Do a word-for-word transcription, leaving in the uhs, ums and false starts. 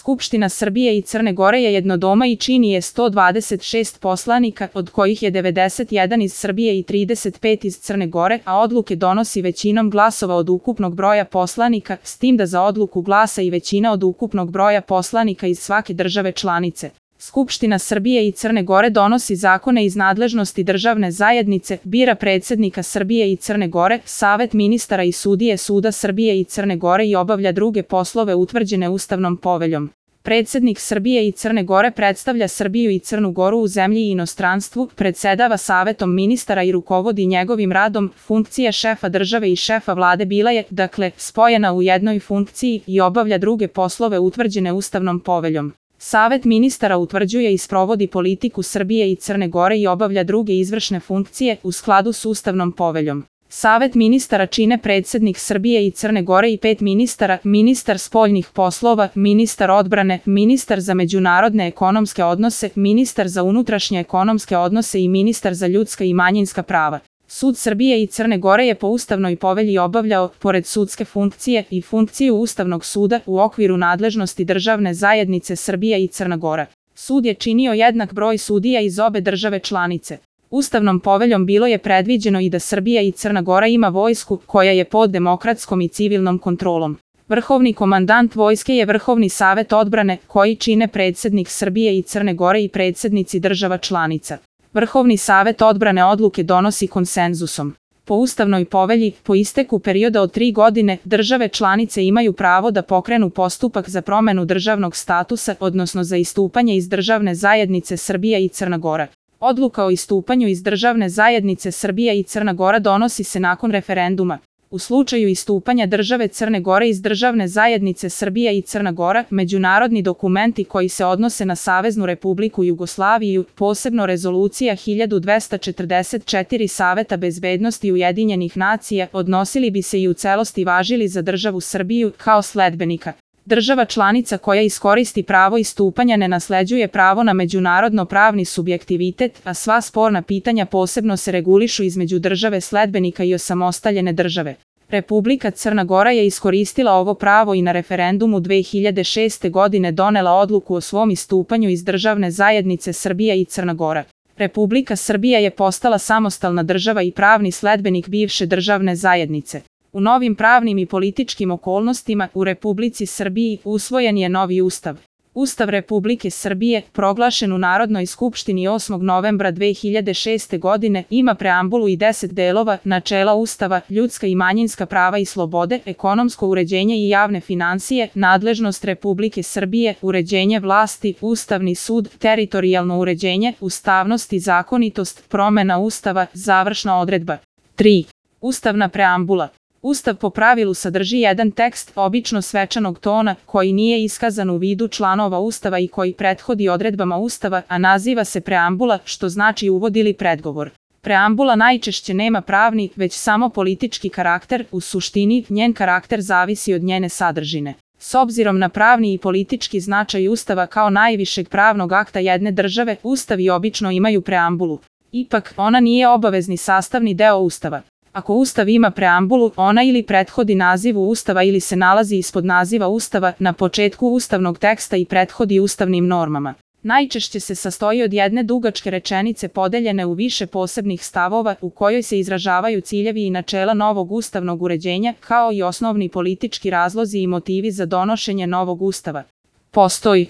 Skupština Srbije i Crne Gore je jednodoma i čini je sto dvadeset šest poslanika, od kojih je devedeset jedan iz Srbije i trideset pet iz Crne Gore, a odluke donosi većinom glasova od ukupnog broja poslanika, s tim da za odluku glasa i većina od ukupnog broja poslanika iz svake države članice. Skupština Srbije i Crne Gore donosi zakone iz nadležnosti državne zajednice, bira predsednika Srbije i Crne Gore, Savet ministara i sudije Suda Srbije i Crne Gore i obavlja druge poslove utvrđene Ustavnom poveljom. Predsednik Srbije i Crne Gore predstavlja Srbiju i Crnu Goru u zemlji i inostranstvu, predsedava Savetom ministara i rukovodi njegovim radom. Funkcija šefa države i šefa vlade bila je, dakle, spojena u jednoj funkciji i obavlja druge poslove utvrđene Ustavnom poveljom. Savet ministara utvrđuje i sprovodi politiku Srbije i Crne Gore i obavlja druge izvršne funkcije u skladu s Ustavnom poveljom. Savet ministara čine predsednik Srbije i Crne Gore i pet ministara, ministar spoljnih poslova, ministar odbrane, ministar za međunarodne ekonomske odnose, ministar za unutrašnje ekonomske odnose i ministar za ljudska i manjinska prava. Sud Srbije i Crne Gore je po Ustavnoj povelji obavljao, pored sudske funkcije, i funkciju Ustavnog suda u okviru nadležnosti državne zajednice Srbija i Crna Gora. Sud je činio jednak broj sudija iz obe države članice. Ustavnom poveljom bilo je predviđeno i da Srbija i Crna Gora ima vojsku, koja je pod demokratskom i civilnom kontrolom. Vrhovni komandant vojske je Vrhovni savet odbrane, koji čine predsednik Srbije i Crne Gore i predsednici država članica. Vrhovni savet odbrane odluke donosi konsenzusom. Po Ustavnoj povelji, po isteku perioda od tri godine, države članice imaju pravo da pokrenu postupak za promenu državnog statusa, odnosno za istupanje iz državne zajednice Srbija i Crna Gora. Odluka o istupanju iz državne zajednice Srbija i Crna Gora donosi se nakon referenduma. U slučaju istupanja države Crne Gore iz državne zajednice Srbija i Crna Gora, međunarodni dokumenti koji se odnose na Saveznu Republiku Jugoslaviju, posebno rezolucija hiljadu dvesta četrdeset četiri Saveta bezbednosti Ujedinjenih nacija, odnosili bi se i u celosti važili za državu Srbiju kao sledbenika. Država članica koja iskoristi pravo istupanja ne nasleđuje pravo na međunarodno pravni subjektivitet, a sva sporna pitanja posebno se regulišu između države sledbenika i osamostaljene države. Republika Crna Gora je iskoristila ovo pravo i na referendumu dve hiljade šeste. godine donela odluku o svom istupanju iz državne zajednice Srbija i Crna Gora. Republika Srbija je postala samostalna država i pravni sledbenik bivše državne zajednice. U novim pravnim i političkim okolnostima u Republici Srbiji usvojen je novi ustav. Ustav Republike Srbije, proglašen u Narodnoj skupštini osmog novembra dve hiljade šeste. godine, ima preambulu i deset delova, načela Ustava, ljudska i manjinska prava i slobode, ekonomsko uređenje i javne finansije, nadležnost Republike Srbije, uređenje vlasti, Ustavni sud, teritorijalno uređenje, ustavnost i zakonitost, promena Ustava, završna odredba. tri. Ustavna preambula. Ustav po pravilu sadrži jedan tekst, obično svečanog tona, koji nije iskazan u vidu članova Ustava i koji prethodi odredbama Ustava, a naziva se preambula, što znači uvod ili predgovor. Preambula najčešće nema pravni, već samo politički karakter, u suštini, njen karakter zavisi od njene sadržine. S obzirom na pravni i politički značaj Ustava kao najvišeg pravnog akta jedne države, Ustavi obično imaju preambulu. Ipak, ona nije obavezni sastavni deo Ustava. Ako Ustav ima preambulu, ona ili prethodi nazivu Ustava ili se nalazi ispod naziva Ustava, na početku ustavnog teksta i prethodi ustavnim normama. Najčešće se sastoji od jedne dugačke rečenice podeljene u više posebnih stavova, u kojoj se izražavaju ciljevi i načela novog ustavnog uređenja, kao i osnovni politički razlozi i motivi za donošenje novog Ustava. Postoji